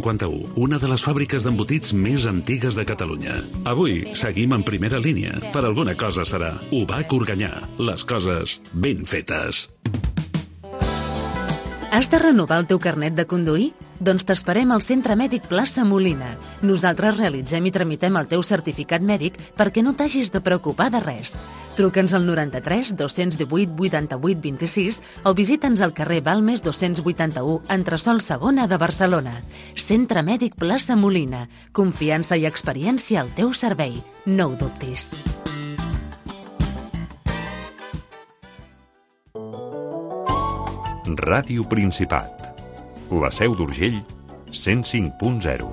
51, una de les fàbriques d'embotits més antigues de Catalunya. Avui seguim en primera línia. Per alguna cosa serà. UBAC Organyà. Les coses ben fetes. Has de renovar el teu carnet de conduir? Doncs t'esperem al Centre Mèdic Plaça Molina. Nosaltres realitzem i tramitem el teu certificat mèdic perquè no t'hagis de preocupar de res. Truca'ns al 93 218 88 26 o visita'ns al carrer Balmes 281, entresòl segona de Barcelona. Centre Mèdic Plaça Molina. Confiança i experiència al teu servei. No ho dubtis. Ràdio Principat. La Seu d'Urgell, 105.0.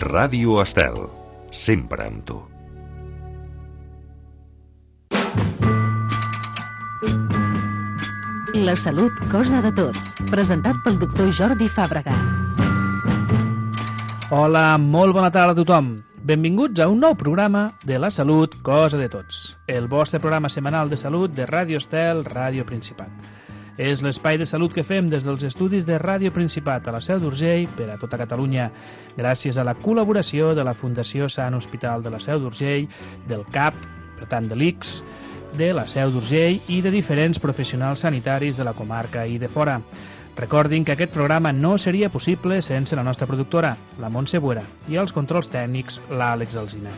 Ràdio Estel, sempre amb tu. La salut, cosa de tots. Presentat pel doctor Jordi Fàbrega. Hola, molt bona tarda a tothom. Benvinguts a un nou programa de La salut, cosa de tots. El vostre programa setmanal de salut de Ràdio Estel, Ràdio Principat. És l'espai de salut que fem des dels estudis de Ràdio Principat a la Seu d'Urgell per a tota Catalunya, gràcies a la col·laboració de la Fundació Sant Hospital de la Seu d'Urgell, del CAP, per tant de l'ICS, de la Seu d'Urgell i de diferents professionals sanitaris de la comarca i de fora. Recordin que aquest programa no seria possible sense la nostra productora, la Montse Buera, i els controls tècnics, l'Àlex Alsina.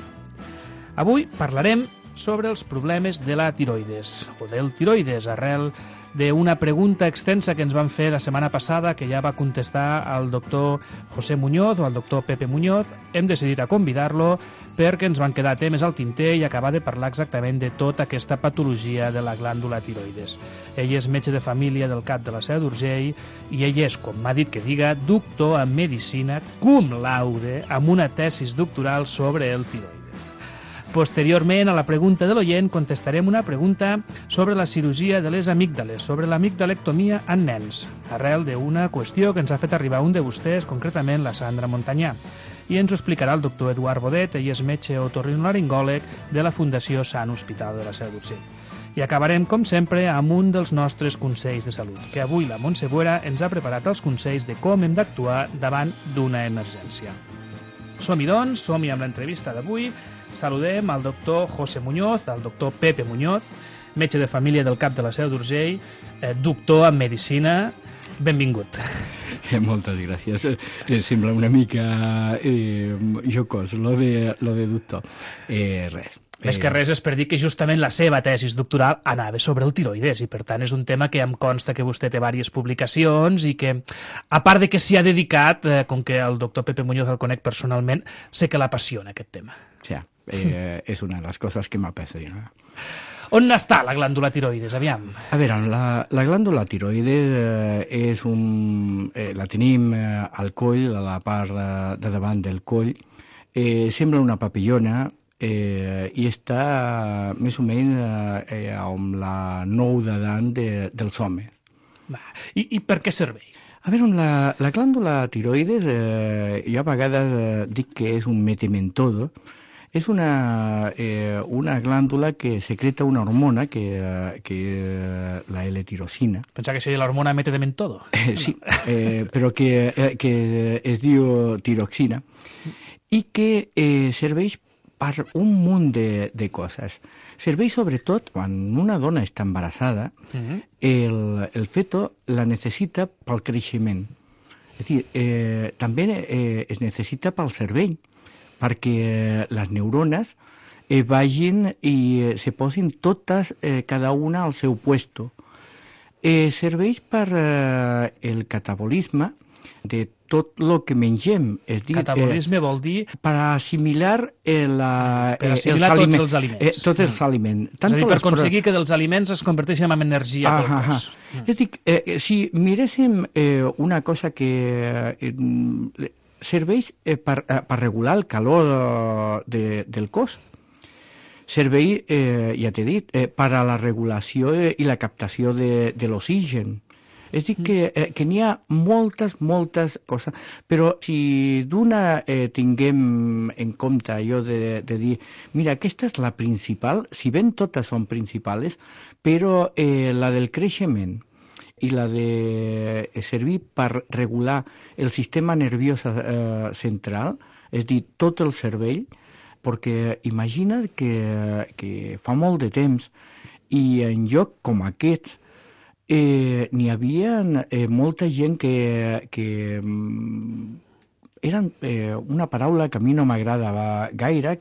Avui parlarem sobre els problemes de la tiroides, o del tiroides, arrel d'una pregunta extensa que ens van fer la setmana passada, que ja va contestar el doctor José Muñoz o el doctor Pepe Muñoz. Hem decidit a convidar-lo perquè ens van quedar temes al tinter i acabar de parlar exactament de tota aquesta patologia de la glàndula tiroides. Ell és metge de família del CAP de la Seu d'Urgell i ell és, com m'ha dit que diga, doctor en medicina cum laude amb una tesis doctoral sobre el tiroides. Posteriorment, a la pregunta de l'oient, contestarem una pregunta sobre la cirurgia de les amígdales, sobre l'amigdalectomia en nens, arrel d'una qüestió que ens ha fet arribar un de vostès, concretament la Sandra Montanyà. I ens ho explicarà el doctor Eduard Bodet, ell és metge otorrinolaringòleg de la Fundació Sant Hospital de la Seu d'Urgell. I acabarem, com sempre, amb un dels nostres consells de salut, que avui la Montse Buera ens ha preparat els consells de com hem d'actuar davant d'una emergència. Som-hi, doncs, som-hi amb l'entrevista d'avui. Saludem al doctor José Muñoz, al doctor Pepe Muñoz, metge de família del CAP de la Seu d'Urgell, doctor en medicina. Benvingut. Moltes gràcies. Sembla una mica jocós, lo de doctor. Res. Més que res és per dir que justament la seva tesis doctoral anava sobre el tiroides i per tant és un tema que em consta que vostè té diverses publicacions i que, a part de que s'hi ha dedicat, com que el doctor Pepe Muñoz el conec personalment, sé que l'apassiona aquest tema. Sí, és una de les coses que m'apassiona. On està la glàndula tiroides? Aviam. A veure, la glàndula tiroides la tenim al coll, a la part de davant del coll. Sembla una papillona i està més o menys amb la nou d'edat dels homes. I per què serveix? A veure, la glàndula tiroides, jo a vegades dic que és un metementodo. És una glàndula que secreta una hormona que és la L-tirosina. Pensava que seria l'hormona metementodo. Sí, però que es diu tiroxina i que serveix per un munt de coses. Serveix sobretot quan una dona està embarassada, el feto la necessita pel creixement. És a dir, també es necessita pel cervell, perquè les neurones vagin i se posin totes, cada una al seu puesto. Serveix per el catabolisme de tot el que mengem. Catabolisme vol dir? Per assimilar tots els aliments. Tots els aliments. És a dir, per aconseguir que dels aliments es converteixin en energia pel cos. És a dir, si miréssim una cosa que serveix per regular el calor del cos, serveix, ja t'he dit, per a la regulació i la captació de l'oxigen. És a dir, que n'hi ha moltes coses, però si d'una tinguem en compte allò de dir, mira, aquesta és la principal, si ben totes són principals, però la del creixement i la de servir per regular el sistema nerviós central, és a dir, tot el cervell, perquè imagina't que fa molt de temps i en lloc com aquests n'hi havia molta gent que eren una paraula que a mi no m'agradava gaire,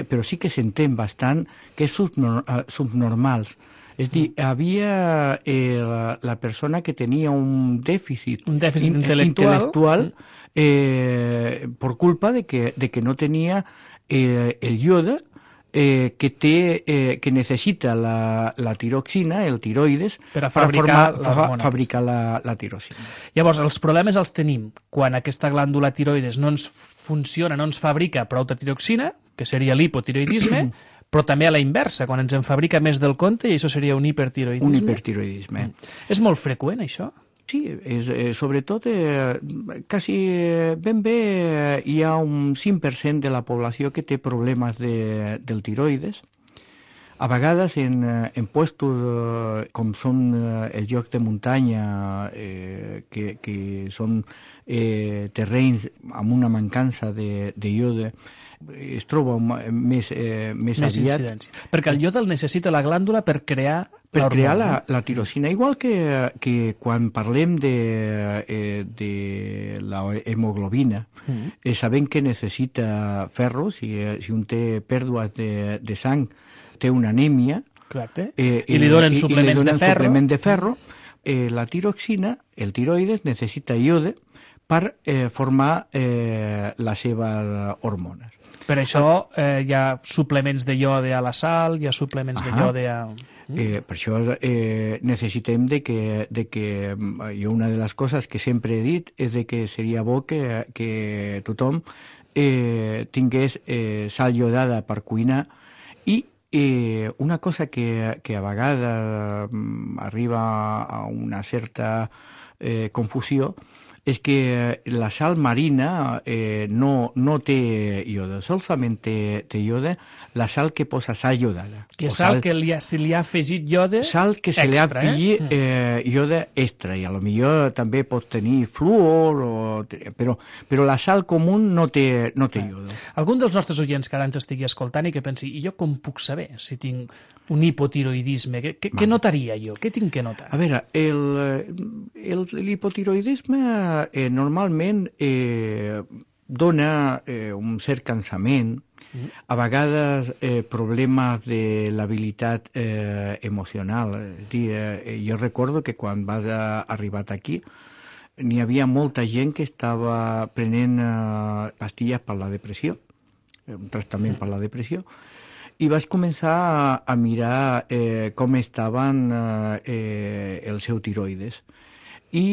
però sí que s'entén bastant, que és subnormals. És a dir, havia la persona que tenia un dèficit intel·lectual per culpa de que no tenia el iode que necessita la tiroxina, el tiroides, per fabricar la tiroxina. Llavors, els problemes els tenim quan aquesta glàndula tiroides no ens funciona, no ens fabrica prou de tiroxina, que seria l'hipotiroidisme, però també a la inversa, quan ens en fabrica més del compte, i això seria un hipertiroidisme. Un hipertiroidisme. És molt freqüent, això? Sí, sobretot, quasi ben bé hi ha un 5% de la població que té problemes del tiroides. A vegades en puestos com són els llocs de muntanya, que són terrenys amb una mancança de iode, es troba més aviat. Incidència. Perquè el iode el necessita la glàndula per crear la tiroxina, igual que quan parlem de la hemoglobina, sabem que necessita ferro, si un té pèrdues de sang, té una anèmia, i li donen suplements de ferro. La tiroxina, el tiroides, necessita iode per formar les seves hormones. Per això hi ha suplements de iode a la sal, hi ha suplements de iode a... Per això necessitem de que jo una de les coses que sempre he dit és de que seria bo que tothom tingués sal iodada per cuinar i una cosa que a vegades arriba a una certa confusió és que la sal marina no té iode, solament té iode la sal que posa sal iodada. Que sal que se li ha afegit iode extra. Sal que se li ha afegit iode extra, i a lo millor també pot tenir fluor, però la sal comú no té iode. Algun dels nostres oients que ara ens estigui escoltant i que pensi, i jo com puc saber si tinc un hipotiroidisme? Què notaria jo? Què tinc que notar? A veure, l'hipotiroidisme normalment dona un cert cansament, a vegades problemes de l'habilitat emocional. Jo recordo que quan vas arribar aquí n'hi havia molta gent que estava prenent pastilles per la depressió, un tractament per la depressió, i vaig començar a mirar com estaven els seus tiroides. I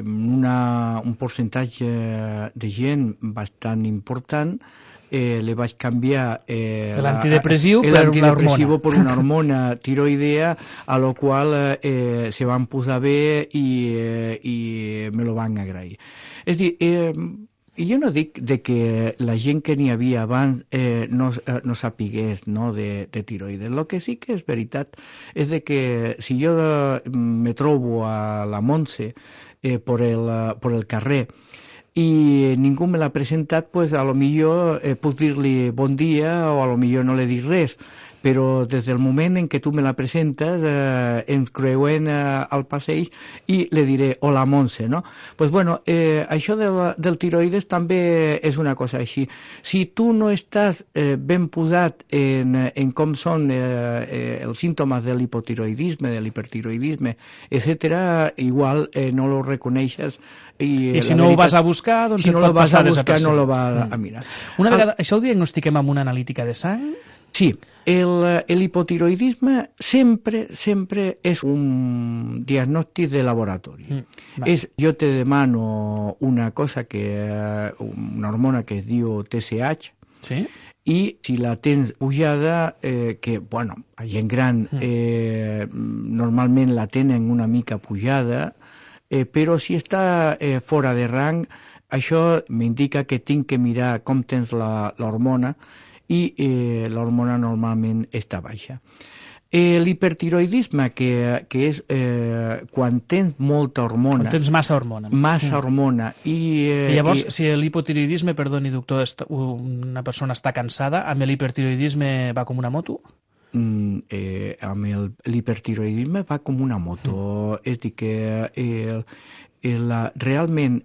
un percentatge de gent bastant important li vaig canviar l'antidepressiu per una hormona tiroidea, a la qual se van posar bé i me lo van agrair. És a dir, jo no dic que la gent que n'hi havia abans no sapigués de tiroides. El que sí que és veritat és que si jo me trobo a la Montse per el carrer i ningú me l'ha presentat, pues a lo millor puc dir-li bon dia o a lo millor no li dic res, però des del moment en què tu me la presentes ens creuem al passeig i li diré hola Montse, no? Pues bueno, això del tiroides també és una cosa així. Si tu no estàs ben posat en com són els símptomes de l'hipotiroidisme, de l'hipertiroidisme, etc., igual no lo reconeixes. I si no ho vas a buscar, doncs et pot passar desapercebut. Si no lo vas a mirar. Una vegada, això ho diagnostiquem amb una analítica de sang? Sí, l'hipotiroidisme sempre és un diagnòstic de laboratori. Jo te demano una cosa una hormona que es diu TSH, sí? I si la tens pujada, que, bueno, a gent gran normalment la tenen una mica pujada, però si està fora de rang, això m'indica que tinc que mirar com tens l'hormona, i l'hormona normalment està baixa. L'hipertiroidisme, que és quan tens molta hormona... Quan tens massa hormona. Massa hormona. I llavors, si l'hipotiroidisme, perdoni, doctor, una persona està cansada, amb l'hipertiroidisme va com una moto? Amb l'hipertiroidisme va com una moto. És a dir, que realment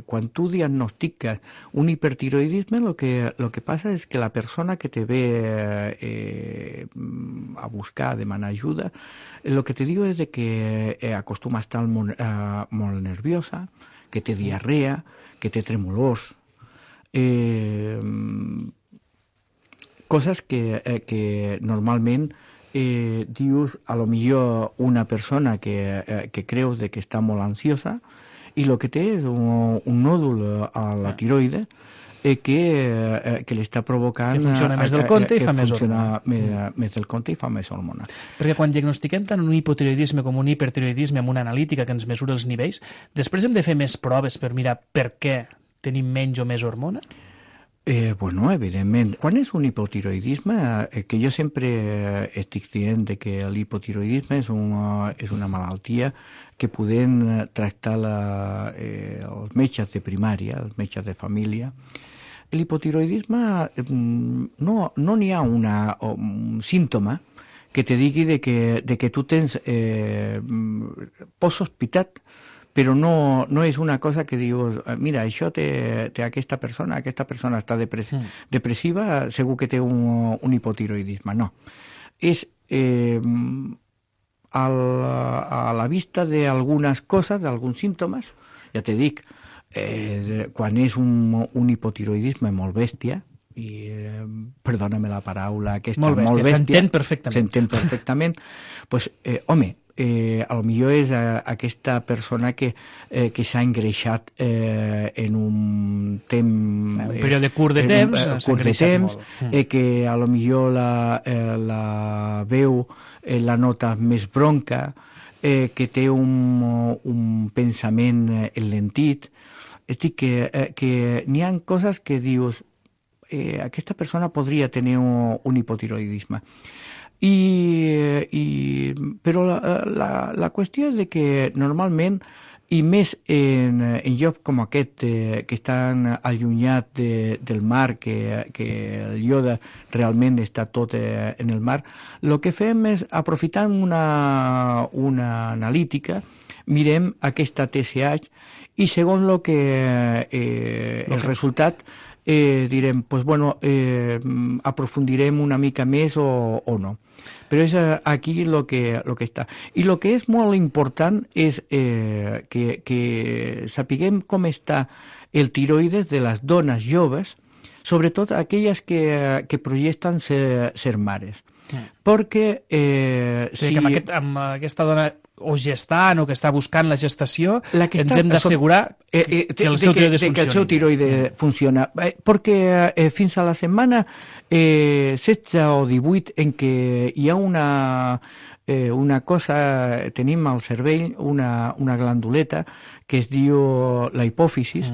quan tu diagnostiques un hipertiroidisme, lo que passa és que la persona que te ve a buscar, a demanar ajuda, lo que te diu és que acostuma a estar molt nerviosa, que té diarrea, que té tremolors, coses que normalment dius, a lo millor una persona que creus de que està molt ansiosa i el que té és un nòdul a la tiroide que li està provocant... Que funciona més del compte i fa més hormona. Més del compte i fa més hormona. Perquè quan diagnostiquem tant un hipotiroidisme com un hipertiroidisme amb una analítica que ens mesura els nivells, després hem de fer més proves per mirar per què tenim menys o més hormona? Bueno, evidentment. Quan és un hipotiroidisme, que jo sempre estic dient que l'hipotiroidisme és una malaltia que podem tractar els metges de primària, els metges de família. L'hipotiroidisme no n'hi ha un símptoma que te digui de que tu tens pots sospitar, però no és una cosa que dius, mira, això té aquesta persona està depressiva, segur que té un hipotiroidisme. No. És a la vista d'algunes coses, d'alguns símptomes, ja te dic, quan és un hipotiroidisme molt bèstia, i perdona-me la paraula aquesta, molt bèstia, s'entén perfectament, pues, home, a lo millor és aquesta persona que s'ha engreixat en un temps... Un període curt de temps, que a lo millor la veu la nota més bronca, que té un pensament enlentit. És a dir, que n'hi ha coses que dius aquesta persona podria tenir un hipotiroidisme. Però la qüestió és que normalment, i més en llocs com aquest, que estan allunyats del mar, que el iode realment està tot en el mar, el que fem és, aprofitant una analítica, mirem aquesta TSH i segons el resultat direm, pues bueno, aprofundirem una mica més o no. Però és aquí el que està. I el que és molt important és que sapiguem com està el tiroides de les dones joves, sobretot aquelles que projecten ser mares. Perquè si... amb aquesta dona o gestant o que està buscant la gestació, ens hem d'assegurar que el seu tiroide funciona. Perquè fins a la setmana 16 o 18 en què hi ha una cosa, tenim al cervell una glanduleta que es diu la hipòfisis,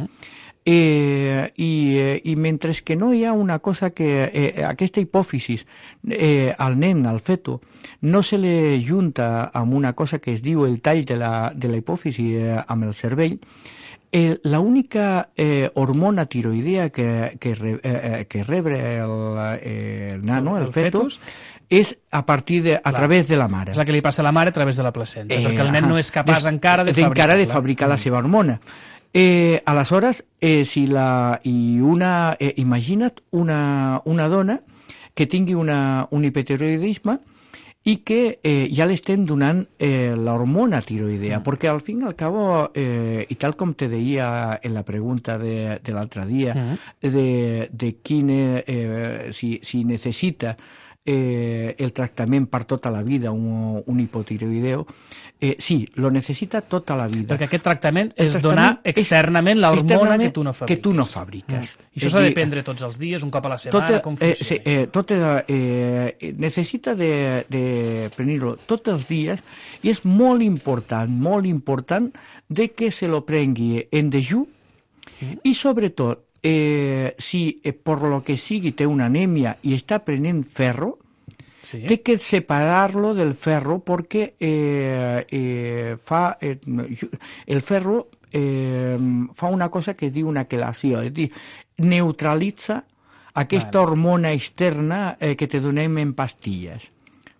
i mentre que no hi ha una cosa que aquesta hipòfisis al nen, al feto, no se li junta amb una cosa que es diu el tall de la hipòfisis amb el cervell, l'única hormona tiroidea que rebre el nano, el fetus, és a través de la mare. És la que li passa a la mare a través de la placenta, perquè el nen no és capaç encara de fabricar la seva hormona. Aleshores, imagina't una dona que tingui un hipotiroidisme i que ja l'estem donant l'hormona tiroidea, perquè al fin i al cabo, i tal com te deia en la pregunta de l'altre dia, de si necessita el tractament per tota la vida, un hipotiroideu, sí, lo necessita tota la vida. Perquè aquest tractament és donar externament l'hormona que tu no fabriques. I això s'ha de prendre tots els dies, un cop a la setmana, com funciona? Necessita de prendre-lo tots els dies i és molt important de que se lo prengui en dejú i sobretot si per lo que sigui té una anèmia i està prenent ferro, Sí. té que separar-lo del ferro perquè el ferro fa una cosa que es diu una quelació, és a dir, neutralitza aquesta hormona externa que te donem en pastilles.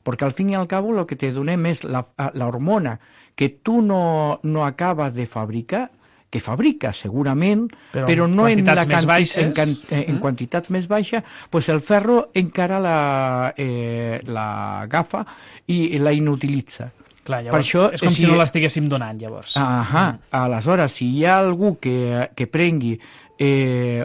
Perquè al fin i al cabo el que te donem és la hormona que tu no acabes de fabricar, que fabrica segurament, però no en quantitats més baixes, pues el ferro encara l'agafa i la inutilitza. Clar, llavors, això, és com si no l'estiguéssim donant, llavors. Aleshores, si hi ha algú que prengui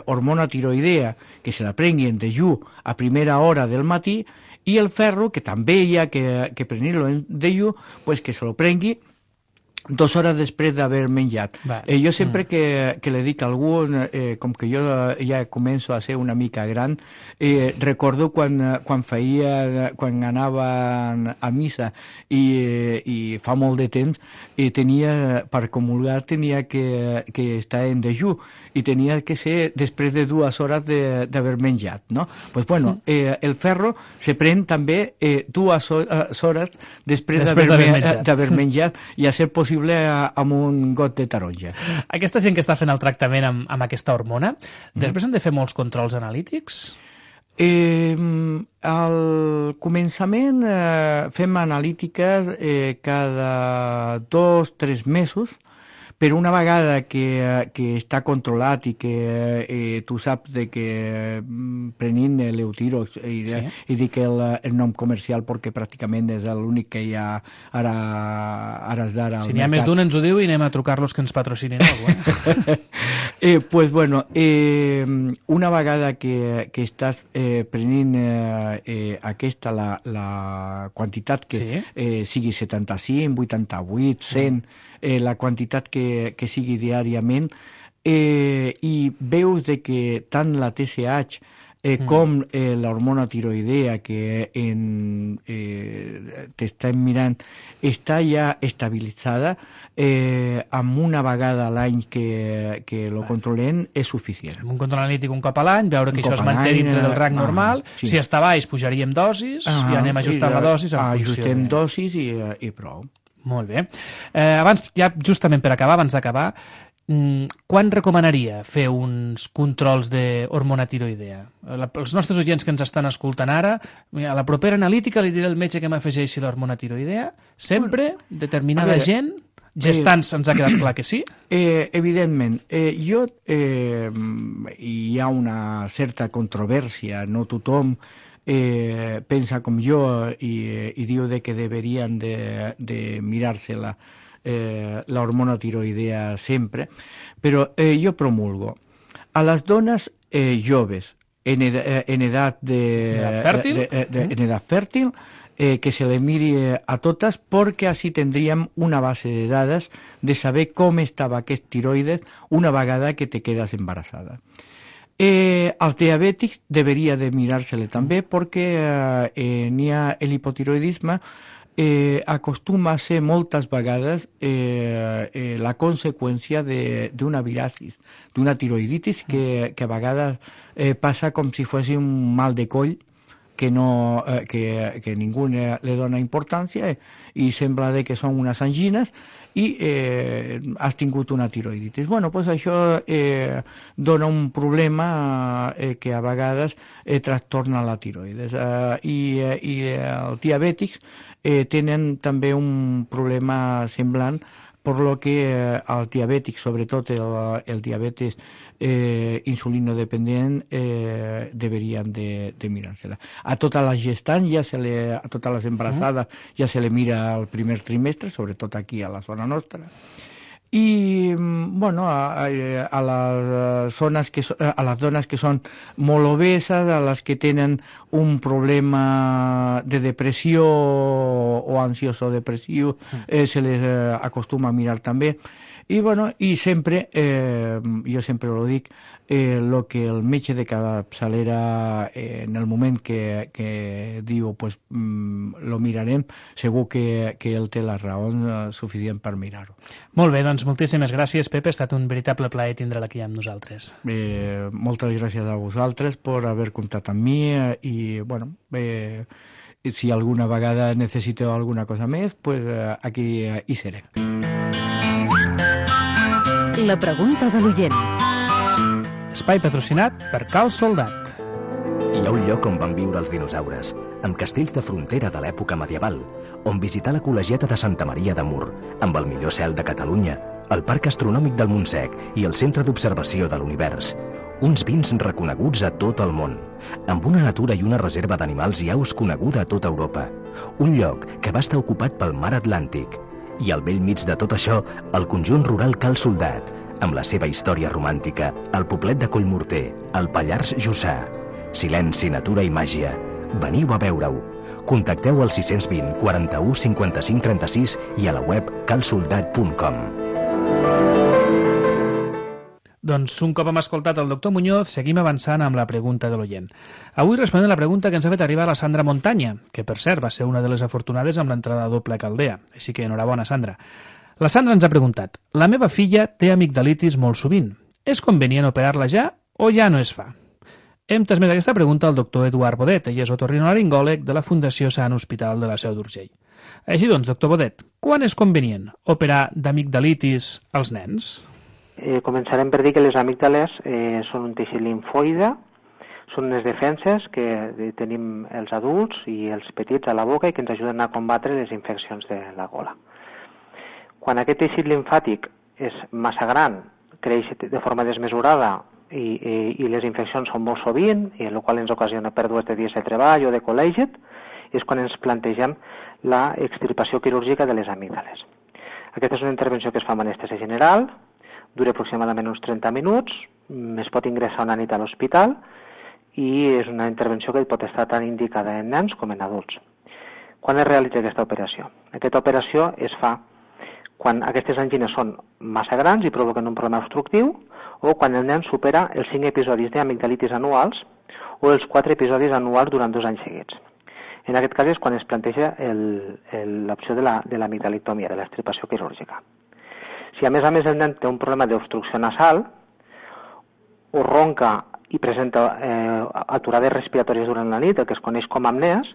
hormona tiroidea, que se la prengui en dejú a primera hora del matí, i el ferro, que també hi ha que prendre-lo en dejú, pues que se lo prengui 2 hores després d'haver menjat. Jo sempre que li dic a algú, com que jo ja començo a ser una mica gran, recordo quan anava a missa i fa molt de temps, per comulgar tenia que estar en dejú i tenia que ser després de 2 hores d'haver menjat, no? Pues bueno, el ferro se pren també 2 hores després d'haver menjat i a ser possible amb un got de taronja. Aquesta gent que està fent el tractament amb aquesta hormona, després han de fer molts controls analítics? Al començament fem analítiques cada 2-3 mesos, però una vegada que està controlat i que tu saps de que prenint l'Eutirox, i dic el nom comercial perquè pràcticament és l'únic que hi ha ara d'ara al mercat. Si n'hi ha més d'un ens ho diu i anem a trucar-los que ens patrocinin alguna. Pues bueno, una vegada que estàs prenent aquesta, la quantitat que sigui 75, 88, 100, la quantitat que sigui diàriament, i veus de que tant la TSH com l'hormona tiroidea que t'estem mirant està ja estabilitzada, amb una vegada a l'any que lo controlem és suficient. Un control analític un cop a l'any, veure que això es manté dintre del rang normal, si està baix pujaríem dosis i anem ajustant la dosis en funció. Ajustem dosis i prou. Molt bé. Abans, ja justament per acabar, abans d'acabar, quan recomanaria fer uns controls d'hormona tiroidea? Els nostres oients que ens estan escoltant ara, a la propera analítica li diré al metge que m'afegeixi l'hormona tiroidea, sempre, determinada gent, gestants ens ha quedat clar que sí? Evidentment. Hi ha una certa controvèrsia, no tothom pensa com jo i diu que deberien de mirar-se la hormona tiroidea sempre, però jo promulgo a les dones joves en edat fèrtil que se le miri a totes, perquè així tindríem una base de dades de saber com estava aquest tiroides una vegada que te quedes embarassada. Els diabètics deberia de mirar-se-le també, perquè n'hi ha l'hipotiroidisme, acostuma a ser moltes vegades la conseqüència d'una virasis, d'una tiroiditis que a vegades passa com si fos un mal de coll que ningú li dona importància i sembla que són unes angines i has tingut una tiroiditis. Bueno, doncs això dona un problema que a vegades trastorna la tiroides. I els diabètics tenen també un problema semblant, per lo que els diabètics, sobretot el diabetes insulinodependent, deberien de mirar-se-la. A totes les gestants, a totes les embarassades, ja se le mira el primer trimestre, sobretot aquí a la zona nostra. I bueno, a les dones que són molt obeses, a les que tenen un problema de depressió o ansioso depressiu, se les acostuma a mirar també. I bueno, i sempre, jo sempre ho dic, lo que el metge de capçalera en el moment que diu pues lo mirarem, segur que ell té la raó suficient per mirar-ho. Molt bé, doncs moltíssimes gràcies, Pepe, ha estat un veritable plaer tindre'l aquí amb nosaltres. Moltes gràcies a vosaltres per haver comptat amb mi i bueno, si alguna vegada necessiteu alguna cosa més, pues, aquí hi serem. La pregunta de l'oient. Espai patrocinat per Cal Soldat. Hi ha un lloc on van viure els dinosaures, amb castells de frontera de l'època medieval, on visitar la col·legiata de Santa Maria de Mur, amb el millor cel de Catalunya, el Parc Astronòmic del Montsec i el Centre d'Observació de l'Univers. Uns vins reconeguts a tot el món, amb una natura i una reserva d'animals i aus coneguda a tota Europa. Un lloc que va estar ocupat pel mar Atlàntic. I al vell mig de tot això, el conjunt rural Cal Soldat, amb la seva història romàntica, el poblet de Collmorter, el Pallars Jussà. Silenci, natura i màgia. Veniu a veure-ho. Contacteu al 620 41 55 36 i a la web calsoldat.com. Doncs un cop hem escoltat el doctor Muñoz, seguim avançant amb la pregunta de l'oient. Avui responem la pregunta que ens ha fet arribar la Sandra Montanya, que per cert va ser una de les afortunades amb l'entrada doble a Caldea. Així que enhorabona, Sandra. La Sandra ens ha preguntat: la meva filla té amigdalitis molt sovint. És convenient operar-la ja o ja no es fa? Hem transmès aquesta pregunta al doctor Eduard Bodet, ell és otorrinolaringòleg de la Fundació Sant Hospital de la Seu d'Urgell. Així doncs, doctor Bodet, quan és convenient operar d'amigdalitis als nens? Començarem per dir que les amígdales són un teixit limfoide, són unes defenses que tenim els adults i els petits a la boca i que ens ajuden a combatre les infeccions de la gola. Quan aquest teixit limfàtic és massa gran, creix de forma desmesurada i les infeccions són molt sovint, i el qual ens ocasiona pèrdues de dies de treball o de col·legit, és quan ens plantegem la extirpació quirúrgica de les amígdales. Aquesta és una intervenció que es fa amb anestèsia general, dura aproximadament uns 30 minuts, es pot ingressar una nit a l'hospital i és una intervenció que pot estar tant indicada en nens com en adults. Quan es realitza aquesta operació? Aquesta operació es fa quan aquestes angines són massa grans i provoquen un problema obstructiu o quan el nen supera els 5 episodis d'amigdalitis anuals o els 4 episodis anuals durant 2 anys seguits. En aquest cas és quan es planteja l'opció de l'amigdalectomia, de l'extirpació quirúrgica. Si a més el nen té un problema d'obstrucció nasal, o ronca i presenta aturades respiratòries durant la nit, el que es coneix com apnees,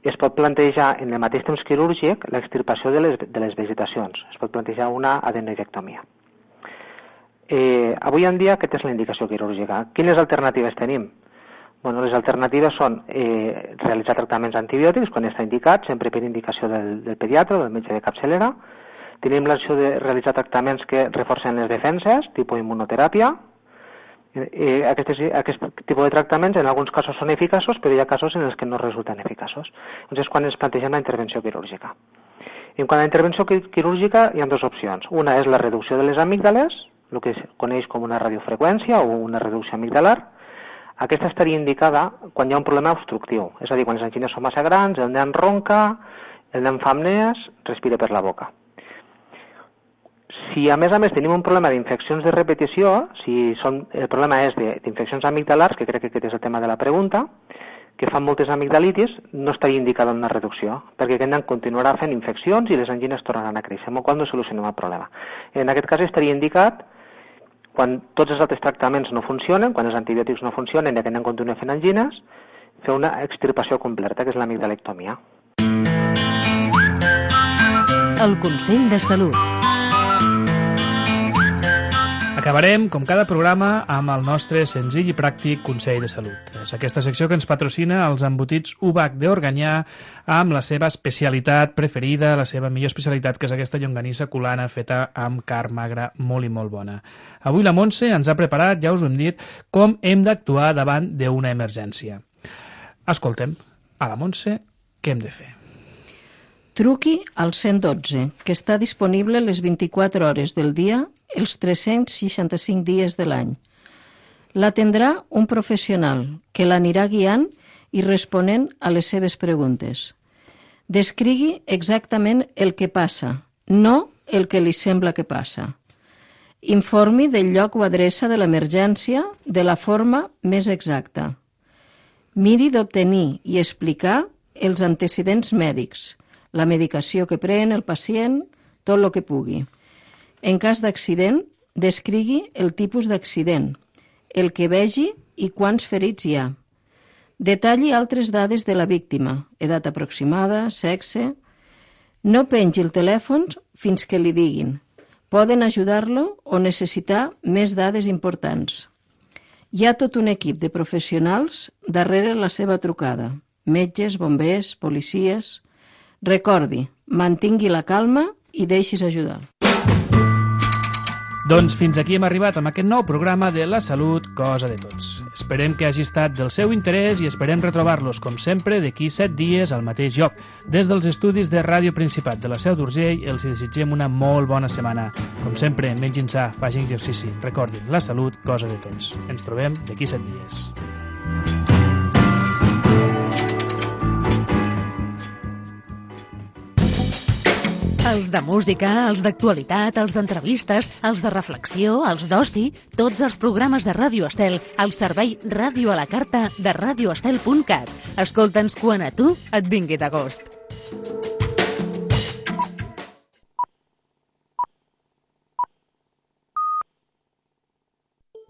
es pot plantejar en el mateix temps quirúrgic l'extirpació de les vegetacions. Es pot plantejar una adenoidectomia. Avui en dia aquesta és la indicació quirúrgica. Quines alternatives tenim? Bueno, les alternatives són realitzar tractaments antibiòtics quan està indicat, sempre per indicació del pediatre o del metge de capçalera. Tenim l'opció de realitzar tractaments que reforcen les defenses, tipus immunoteràpia. Aquest tipus de tractaments en alguns casos són eficaços, però hi ha casos en els que no resulten eficaços. Doncs és quan ens plantegem la intervenció quirúrgica. En quant a la intervenció quirúrgica hi ha 2 opcions. Una és la reducció de les amígdales, el que es coneix com una radiofreqüència o una reducció amigdalar. Aquesta estaria indicada quan hi ha un problema obstructiu, és a dir, quan les angines són massa grans, el nen ronca, el nen fa apnees, respira per la boca. Si a més tenim un problema d'infeccions de repetició, si el problema és d'infeccions amigdalars, que crec que aquest és el tema de la pregunta, que fan moltes amigdalitis, no estaria indicada una reducció, perquè aquest nen continuarà fent infeccions i les angines tornaran a créixer, amb el qual no solucionem el problema. En aquest cas estaria indicat quan tots els altres tractaments no funcionen, quan els antibiòtics no funcionen i aquest nen continua fent angines, fer una extirpació completa, que és l'amigdalectomia. El Consell de Salut. Acabarem, com cada programa, amb el nostre senzill i pràctic Consell de Salut. És aquesta secció que ens patrocina els embotits UBAC d'Organyà amb la seva especialitat preferida, la seva millor especialitat, que és aquesta llonganissa culana feta amb carn magra molt i molt bona. Avui la Montse ens ha preparat, ja us ho hem dit, com hem d'actuar davant d'una emergència. Escoltem a la Montse què hem de fer. Truqui al 112, que està disponible les 24 hores del dia, els 365 dies de l'any. L'atendrà un professional que l'anirà guiant i responent a les seves preguntes. Descrigui exactament el que passa, no el que li sembla que passa. Informi del lloc o adreça de l'emergència de la forma més exacta. Miri d'obtenir i explicar els antecedents mèdics, la medicació que pren el pacient, tot el que pugui. En cas d'accident, descrigui el tipus d'accident, el que vegi i quants ferits hi ha. Detalli altres dades de la víctima, edat aproximada, sexe. No pengi el telèfon fins que li diguin. Poden ajudar-lo o necessitar més dades importants. Hi ha tot un equip de professionals darrere la seva trucada. Metges, bombers, policies... Recordi, mantingui la calma i deixis ajudar. Doncs fins aquí hem arribat amb aquest nou programa de La Salut, Cosa de Tots. Esperem que hagi estat del seu interès i esperem retrobar-los, com sempre, d'aquí 7 dies al mateix lloc. Des dels estudis de Ràdio Principat de la Seu d'Urgell els desitgem una molt bona setmana. Com sempre, mengin sa, facin exercici. Recordin, la salut, cosa de tots. Ens trobem d'aquí 7 dies. Els de música, els d'actualitat, els d'entrevistes, els de reflexió, els d'oci, tots els programes de Ràdio Estel al servei Ràdio a la Carta de radioestel.cat. Escolta'ns quan a tu et vingui de gust.